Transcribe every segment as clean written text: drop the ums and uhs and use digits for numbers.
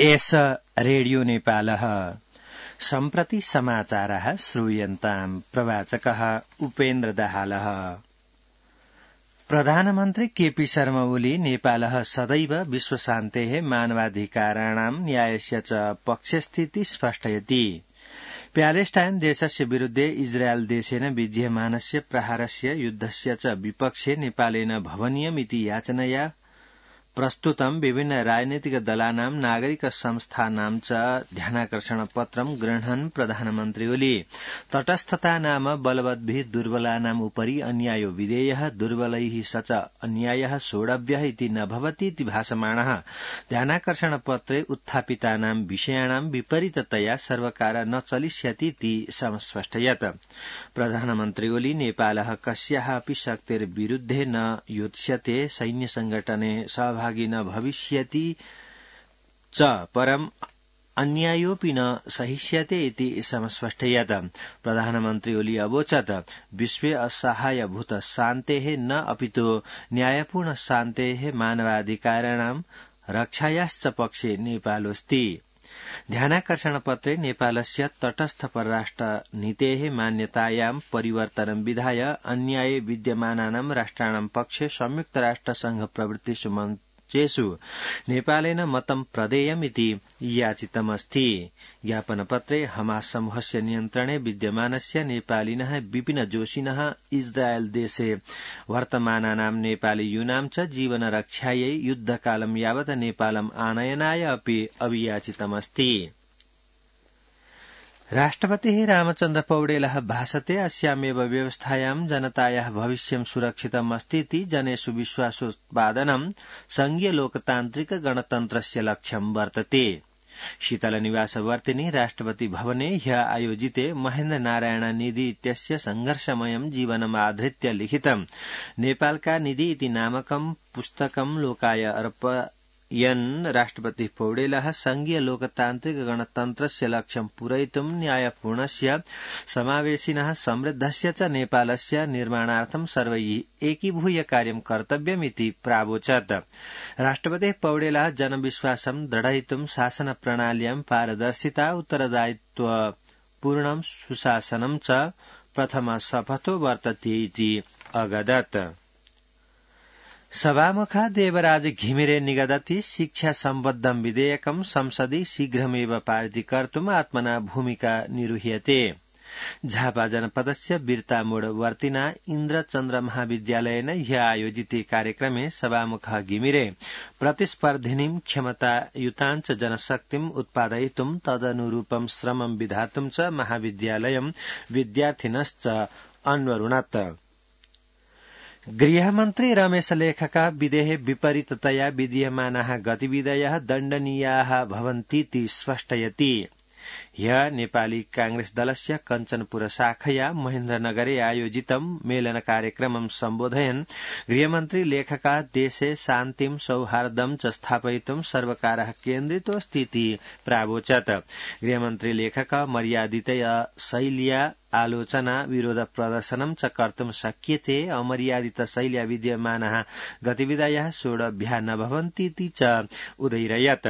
एष रेडियो नेपालः सम्प्रति समाचारः श्रूयन्ताम् प्रवाचकः उपेन्द्र दाहालः। प्रधानमन्त्री केपी शर्मा ओली नेपालः सदैव विश्वशान्तेः मानवाधिकाराणां न्यायस्य च पक्षस्थिति स्पष्टयति। प्यालेस्टाइन देशस्य विरुद्धे इजरायल देशेन विद्यमानस्य प्रहारस्य युद्धस्य च विपक्षे नेपालेन भवनीयमिति याचनया प्रस्तुतं विभिन्न राजनीतिक दलानां नागरिक संस्थानां च ध्यानाकर्षण पत्रं गृह्णन् प्रधानमन्त्री ओली तटस्थता नाम बलवद्भिः दुर्बलानाम् उपरि अन्यायो विधेयः दुर्बलैः स च अन्यायः सोढव्यः इति न भवति इति भाषमाणः ध्यानाकर्षण पत्रे उत्थापितानां विषयाणां विपरीततया सर्वकार न चलिष्यति इति समस्पष्टयत्। प्रधानमन्त्री ओली नेपालः कस्याः अपि शक्तेर्विरुद्धे न योत्स्यते, सैन्य संगठने सहभागी न भविष्यति च परम् अन्यायोऽपि न सहिष्यते इति समस्पष्टयत्। प्रधानमन्त्री ओली अवोचत् विश्वे असहायभूत शान्तेः न अपितु न्यायपूर्ण शान्तेः मानवाधिकाराणां रक्षायाश्च पक्षे नेपालोऽस्ति। ध्यानाकर्षण पत्रे नेपालस्य तटस्थ परराष्ट्र नीतेः मान्यतायां परिवर्तनं विधाय अन्याये विद्यमानानां राष्ट्राणां पक्षे संयुक्त राष्ट्र संघ प्रवृत्तिषु मञ्चेषु नेपालेन मतं प्रदेयमिति याचितमस्ति। ज्ञापनपत्रे हमास समूहस्य नियन्त्रणे विद्यमानस्य नेपालिनः विपिन जोशिनः इजरायल देशे वर्तमानानां नेपालीयूनां च जीवनरक्षायै युद्धकालं यावत् नेपालम् आनयनाय अपि अभियाचितमस्ति। राष्ट्रपतिः रामचन्द्र पौडेलः भाषते अस्यामेव व्यवस्थायां जनतायाः भविष्यं सुरक्षितम् अस्तीति जनेषु विश्वासोत्पादनं संघीय लोकतान्त्रिक गणतन्त्रस्य लक्ष्यं वर्तते। शीतलनिवासवर्तिनि राष्ट्रपति भवने ह्य आयोजिते महेन्द्र नारायण निधि इत्यस्य संघर्षमयं जीवनम् आधृत्य लिखितं नेपालका निधि इति नामकं पुस्तकं लोकाय अर्पयन् राष्ट्रपति पौडेलः संघीय लोकतान्त्रिक गणतन्त्रस्य लक्ष्यं पूरयितुं न्यायपूर्णस्य समावेशिनः समृद्धस्य च नेपालस्य निर्माणार्थं सर्वैः एकीभूय कार्यं कर्तव्यमिति प्रावोचत्। राष्ट्रपति पौडेलः जनविश्वासं दृढयितुं शासन प्रणाल्यां पारदर्शिता उत्तरदायित्व पूर्णं सुशासनं च प्रथम शपथो वर्तते इति अगदत्। सभामुखः देवराज घिमिरे निगदति शिक्षा सम्बद्धं विधेयकं संसदि शीघ्रमेव पारितीकर्तुम् आत्मना भूमिका निरूह्यते। झापा जनपदस्य बिर्तामोडवर्तिना इन्द्रचन्द्र महाविद्यालयेन ह्य आयोजिते कार्यक्रमे सभामुखः घिमिरे प्रतिस्पर्धिनीं क्षमतायुतां च जनशक्तिम् उत्पादयितुं तदनुरूपं श्रमं विधातुं च महाविद्यालयं विद्यार्थिनश्च अन्वरुणत्। गृहमन्त्री रमेश लेखका विधेः विपरीततया विधीयमानाः गतिविधयः दण्डनीयाः भवन्तीति स्पष्टयति। ह्य नेपाली कांग्रेस दलस्य कञ्चनपुर शाखया महेन्द्रनगरे आयोजितं मेलन कार्यक्रमं सम्बोधयन् गृहमन्त्री लेखका देशे शान्तिं सौहार्दं च स्थापयितुं सर्वकारः केन्द्रितोऽस्ति इति प्रावोचत्। गृहमन्त्री लेखका मर्यादितया शैल्या आलोचना विरोध प्रदर्शनं च कर्तुं शक्यते, अमर्यादित शैल्या विद्यमानाः गतिविधयः सोढव्याः न भवन्तीति च उदयिरयत्।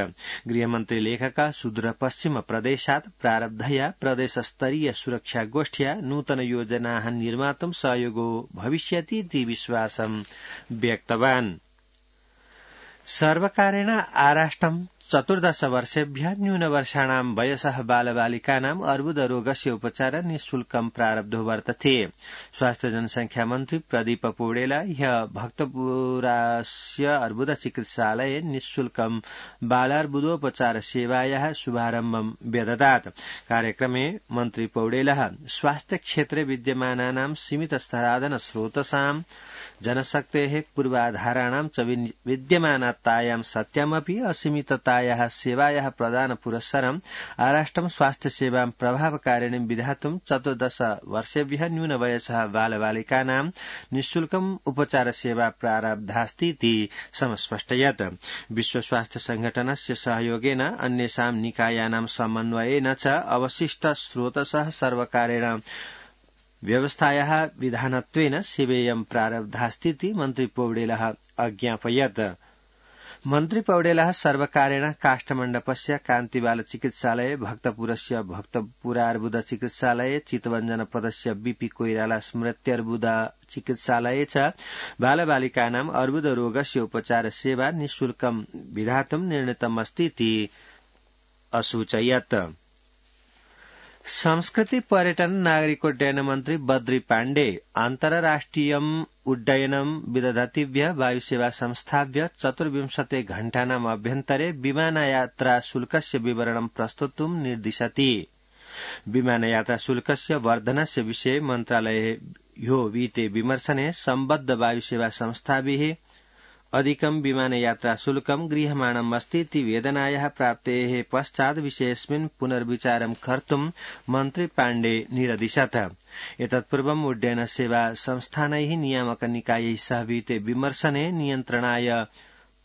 गृहमन्त्री लेखका सुदूरपश्चिम प्रदेशात् प्रारब्धया प्रदेशस्तरीय सुरक्षा गोष्ठ्या नूतन योजनाः निर्मातुं सहयोगो भविष्यति इति विश्वासं व्यक्तवान्। सर्वकारेण आराष्टं 14 वर्षेभ्यः न्यूनवर्षाणां वयसः बालबालिकानाम् अर्बुदरोगस्य उपचार निःशुल्कं प्रारब्धो वर्तते। स्वास्थ्य जनसंख्या मन्त्री प्रदीप पौडेल ह्य भक्तपुरस्य अर्बुद चिकित्सालये निःशुल्कं बालार्बुदोपचार सेवायाः शुभारम्भं व्यददात्। कार्यक्रमे मन्त्री पौडेलः स्वास्थ्य क्षेत्रे विद्यमानानां सीमित स्तरादन स्रोतसां जनशक्तेः पूर्वाधाराणां च विद्यमानतायां सत्यमपि असीमिततायाः सेवायाः प्रदान पुरस्सरम् आराष्टं स्वास्थ्य सेवां प्रभावकारिणीं विधातुं 14 वर्षेभ्यः न्यूनवयसः बालबालिकानां निःशुल्कम् उपचार सेवा प्रारब्धास्ति इति समस्पष्टयत्। विश्व स्वास्थ्य संघटनस्य सहयोगेन अन्येषां निकायानां समन्वयेन च अवशिष्ट स्रोतसः सर्वकारेण व्यवस्थायाः विधानत्वेन सेवेयं प्रारब्धास्तीति मन्त्री पौडेलः अज्ञापयत्। मन्त्री पौडेलः सर्वकारेण काष्ठमण्डपस्य कान्तिबालचिकित्सालये भक्तपुरस्य भक्तपुरार्बुद चिकित्सालये चितवञ्जनपदस्य बीपी कोइराला स्मृत्यर्बुद चिकित्सालये च बालबालिकानाम् अर्बुदरोगस्य उपचार सेवा निःशुल्कं विधातुं निर्णीतमस्तीति असूचयत्। संस्कृति पर्यटन नागरिकोड्डयन मन्त्री बद्री पाण्डे अन्तर्राष्ट्रियम् उड्डयनम् विदधतिभ्य वायुसेवा संस्थाभ्य 24 घण्टानाम् अभ्यन्तरे विमानयात्रा शुल्कस्य विवरणं प्रस्तुतुं निर्दिशति। विमानयात्रा शुल्कस्य वर्धनस्य विषये मन्त्रालयो वीते विमर्शने सम्बद्ध वायुसेवा संस्थाभिः अधिकं विमानयात्रा शुल्कं गृह्यमाणमस्तीति वेदनायाः प्राप्तेः पश्चात् विषयेऽस्मिन् पुनर्विचारं कर्तुं मन्त्री पाण्डे निरदिशत्। एतत्पूर्वम् उड्डयन सेवा संस्थानैः नियामक निकायैः सह वीते विमर्शने नियन्त्रणाय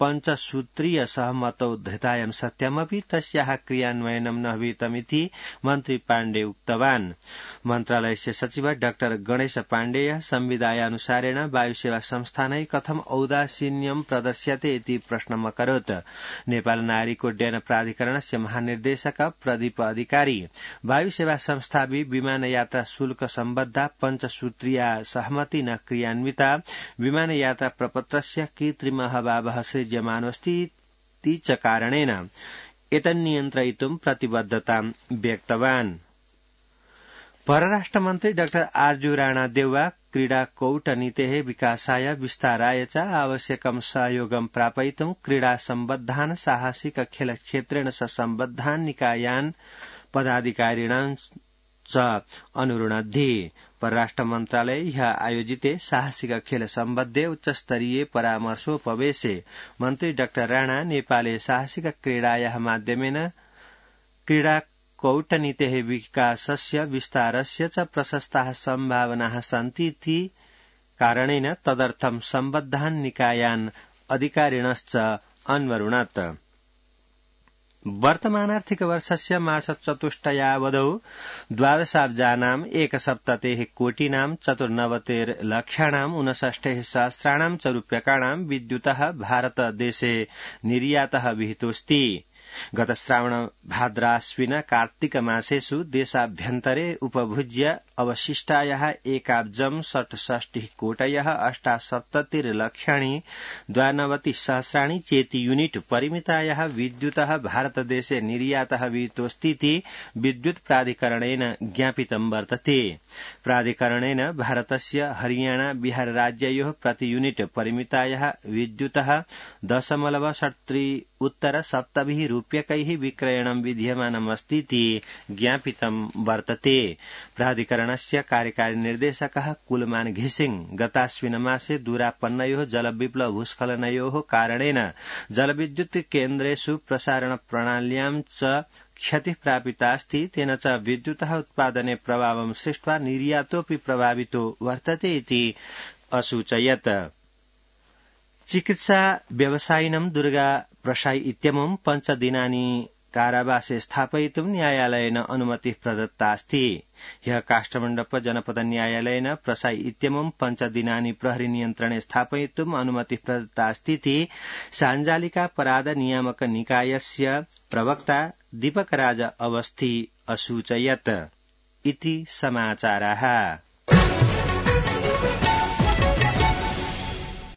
पञ्चसूत्रीय सहमतौ धृतायं सत्यमपि तस्याः क्रियान्वयनं न विहितमिति मन्त्री पाण्डे उक्तवान्। मन्त्रालयस्य सचिव डाक्टर गणेश पाण्डेय संविधायानुसारेण वायुसेवा संस्थानै कथम् औदासीन्यं प्रदर्श्यते इति प्रश्नम् अकरोत्। नेपाल नागरिकोड्डयन प्राधिकरणस्य महानिर्देशक प्रदीप अधिकारी वायुसेवा संस्थाभि विमानयात्रा शुल्क सम्बद्धा पञ्चसूत्रीया सहमति न क्रियान्विता विमानयात्रा प्रपत्रस्य कृत्रिम अभावः सृज्यमानोऽस्ति च कारणेन एतन्नियन्त्रयितुं प्रतिबद्धतां व्यक्तवान्। परराष्ट्रमन्त्री डाक्टर आर्जू राणादेउवा क्रीडा कौटनीतेः विकासाय विस्ताराय च आवश्यकं सहयोगं प्रापयितुं क्रीडा सम्बद्धान् साहसिक खेलक्षेत्रेण स सम्बद्धान् निकायान् पदाधिकारिणां च अनुरुणद्धि। परराष्ट्र मन्त्रालये ह्यः आयोजिते साहसिक खेल सम्बद्धे उच्चस्तरीये परामर्शोपवेशे मन्त्री डाक्टर राणा नेपाले साहसिक क्रीडायाः माध्यमेन क्रीडा कौटनीतेः विकासस्य विस्तारस्य च प्रशस्ताः सम्भावनाः सन्तीति कारणेन तदर्थं सम्बद्धान् निकायान् अधिकारिणश्च अन्वरुणत्। वर्तमानार्थिक वर्षस्य मासचतुष्टयावधौ 12,000 एकसप्ततेः कोटिनां 94,00,000 59,000 च रूप्यकाणां विद्युतः भारतदेशे निर्यातः विहितोऽस्ति। गत श्रावण भाद्राश्विन कार्तिक मासेषु देशाभ्यन्तरे उपभुज्य अवशिष्टायाः 1,68 कोटयः 78,00,000 92,000 चेति यूनिट परिमितायाः विद्युतः भारतदेशे निर्यातः विहितोऽस्तीति विद्युत् प्राधिकरणेन ज्ञापितं वर्तते। प्राधिकरणेन भारतस्य हरियाणा बिहार राज्ययोः प्रति यूनिट परिमितायाः विद्युतः 0.73 उत्तर 7 रूप्यकैः विक्रयणं विधीयमानमस्तीति ज्ञापितं वर्तते। प्राधिकरणस्य कार्यकारी निर्देशकः कुलमान घिसिंग गताश्विन मासे दूरापन्नयोः जलविप्लव भूस्खलनयोः कारणेन जलविद्युत् केन्द्रेषु प्रसारण प्रणाल्यां च क्षतिः प्रापितास्ति तेन च विद्युतः उत्पादने प्रभावं सृष्ट्वा निर्यातोऽपि प्रभावितो वर्तते इति असूचयत्। चिकित्सा व्यवसायिनं दुर्गा प्रसाई इत्यमुं 5 दिनानि कारावासे स्थापयितुं न्यायालयेन अनुमतिः प्रदत्तास्ति। ह्यः काष्ठमण्डप जनपद न्यायालयेन प्रसाई इत्यमुं 5 दिनानि प्रहरी नियन्त्रणे स्थापयितुं अनुमतिः प्रदत्तास्तीति साञ्जालिकापराध नियामक निकायस्य प्रवक्ता दीपकराज अवस्थी असूचयत्। इति समाचाराः।